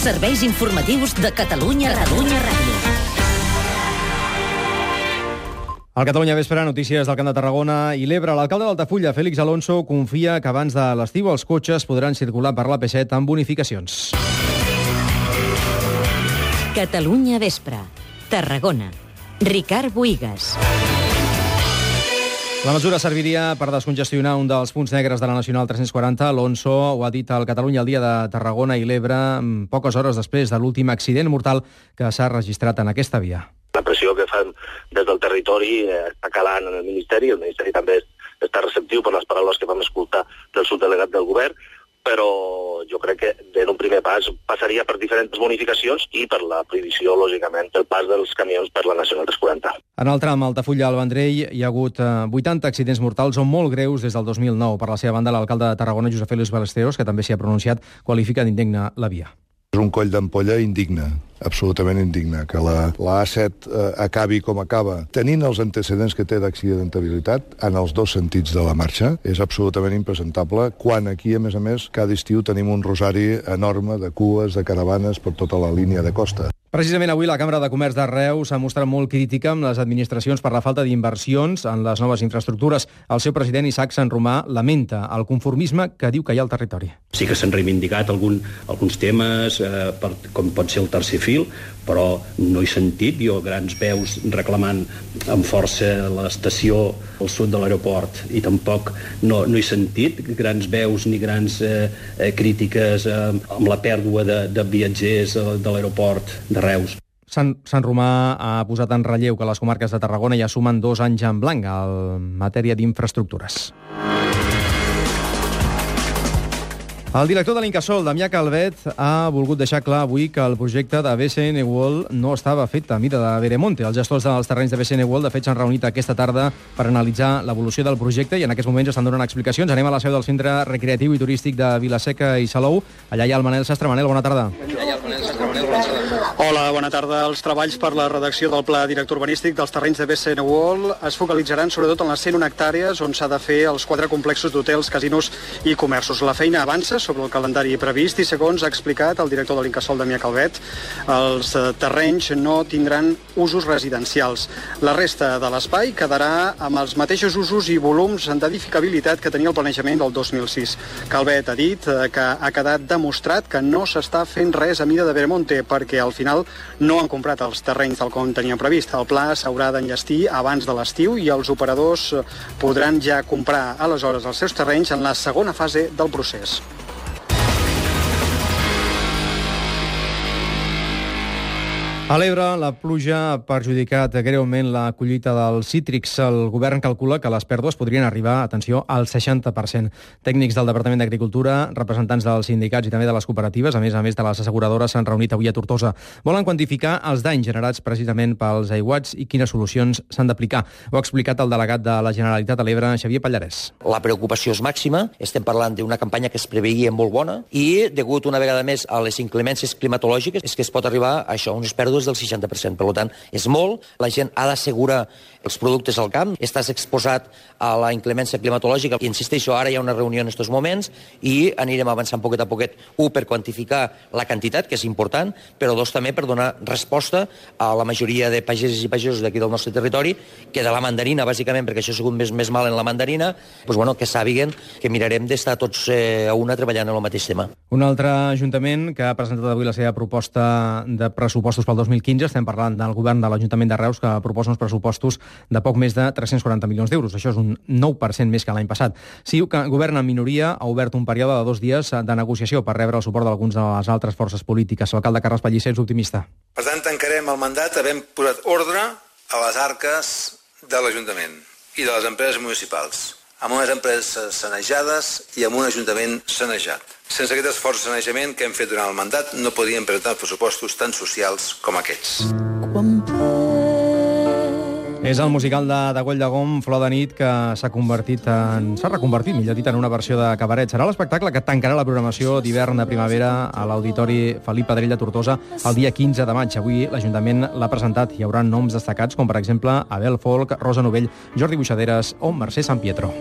Serveis informatius de Catalunya Ràdio. Al Catalunya Vespre, notícies del Camp de Tarragona i l'Ebre. L'alcalde d'Altafulla, Félix Alonso, confia que abans de l'estiu els cotxes podran circular per l'AP7 amb bonificacions. Catalunya Vespre, Tarragona. Ricard Bohigas. La mesura serviria per descongestionar un dels punts negres de la Nacional 340. Alonso ho ha dit al Catalunya al dia de Tarragona i l'Ebre, poques hores després de l'últim accident mortal que s'ha registrat en aquesta via. La pressió que fan des del territori està calant en el Ministeri també està receptiu per les paraules que vam escoltar del subdelegat del govern, però jo crec que en un primer pas passaria per diferents bonificacions i per la prohibició, lògicament, del pas dels camions per la Nacional 340. En el tram Altafulla al Vendrell hi ha hagut 80 accidents mortals o molt greus des del 2009. Per la seva banda, l'alcalde de Tarragona, Josep Félix Ballesteros, que també s'hi ha pronunciat, qualifica d'indigna la via. És un coll d'ampolla indigne, absolutament indigne, que la A7 acabi com acaba, tenint els antecedents que té d'accidentabilitat en els dos sentits de la marxa, és absolutament impresentable, quan aquí, a més, cada estiu tenim un rosari enorme de cues, de caravanes per tota la línia de costa. Precisament avui la Cambra de Comerç de Reus s'ha mostrat molt crítica amb les administracions per la falta d'inversions en les noves infraestructures. El seu president, Isaac Sant Romà, lamenta el conformisme que diu que hi ha al territori. Sí que s'han reivindicat alguns temes, com pot ser el tercer fil, però no he sentit jo grans veus reclamant amb força l'estació al sud de l'aeroport, i tampoc no he sentit grans veus ni grans crítiques amb la pèrdua de viatgers de l'aeroport de Reus. Sant Romà ha posat en relleu que les comarques de Tarragona ja sumen 2 anys en blanc en matèria d'infraestructures. El director de l'Incasòl, Damià Calvet, ha volgut deixar clar avui que el projecte de BCN World no estava fet a mida de Veremonte. Els gestors dels terrenys de BCN World, de fet, s'han reunit aquesta tarda per analitzar l'evolució del projecte i en aquests moments estan donant explicacions. Anem a la seu del Centre Recreatiu i Turístic de Vilaseca i Salou. Allà hi ha el Manel Sastre. Manel, bona tarda. Hola, bona tarda. Els treballs per la redacció del Pla Director Urbanístic dels terrenys de BCN World es focalitzaran sobretot en les 101 hectàrees on s'ha de fer els 4 complexos d'hotels, casinos i comerços. La feina avança sobre el calendari previst i, segons ha explicat el director de l'Incasòl, Damià Calvet, els terrenys no tindran usos residencials. La resta de l'espai quedarà amb els mateixos usos i volums d'edificabilitat que tenia el planejament del 2006. Calvet ha dit que ha quedat demostrat que no s'està fent res a mida de Veremonte perquè al final no han comprat els terrenys tal com tenien previst. El pla s'haurà d'enllestir abans de l'estiu i els operadors podran ja comprar aleshores els seus terrenys en la segona fase del procés. A l'Ebre, la pluja ha perjudicat greument la collita dels cítrics. El govern calcula que les pèrdues podrien arribar, atenció, al 60%. Tècnics del Departament d'Agricultura, representants dels sindicats i també de les cooperatives, a més de les asseguradores, s'han reunit avui a Tortosa. Volen quantificar els danys generats precisament pels aiguats i quines solucions s'han d'aplicar. Ho ha explicat el delegat de la Generalitat a l'Ebre, Xavier Pallarès. La preocupació és màxima. Estem parlant d'una campanya que es preveia molt bona i, degut una vegada més a les inclemències climatològiques, és que es pot arribar a això, unes pèrdues del 60%. Per tant, és molt. La gent ha d'assegurar els productes al camp. Estàs exposat a la inclemència climatològica. I insisteixo, ara hi ha una reunió en aquests moments i anirem avançant poquet a poquet. 1, per quantificar la quantitat, que és important, però 2, també per donar resposta a la majoria de pageses i pagesos d'aquí del nostre territori, que de la mandarina, bàsicament, perquè això ha sigut més mal en la mandarina, que sàpiguen que mirarem d'estar tots a una treballant en el mateix tema. Un altre ajuntament que ha presentat avui la seva proposta de pressupostos pel 2015, estem parlant del govern de l'Ajuntament de Reus, que proposa uns pressupostos de poc més de 340 milions d'euros. Això és un 9% més que l'any passat. CiU, que governa en minoria, ha obert un període de 2 dies de negociació per rebre el suport d'alguns de les altres forces polítiques. L'alcalde Carles Pellicer és optimista. Per tant, tancarem el mandat havent posat ordre a les arques de l'Ajuntament i de les empreses municipals, amb unes empreses sanejades i amb un ajuntament sanejat. Sense aquest esforç de sanejament que hem fet durant el mandat, no podíem presentar pressupostos tan socials com aquests. És el musical de Güell de Gom, Flor de nit, que s'ha reconvertit, millor dit, en una versió de cabaret. Serà l'espectacle que tancarà la programació d'hivern de primavera a l'Auditori Felip Pedrell de Tortosa el dia 15 de maig. Avui l'Ajuntament l'ha presentat. Hi haurà noms destacats com, per exemple, Abel Folk, Rosa Novell, Jordi Buixaderes o Mercè Sampietro.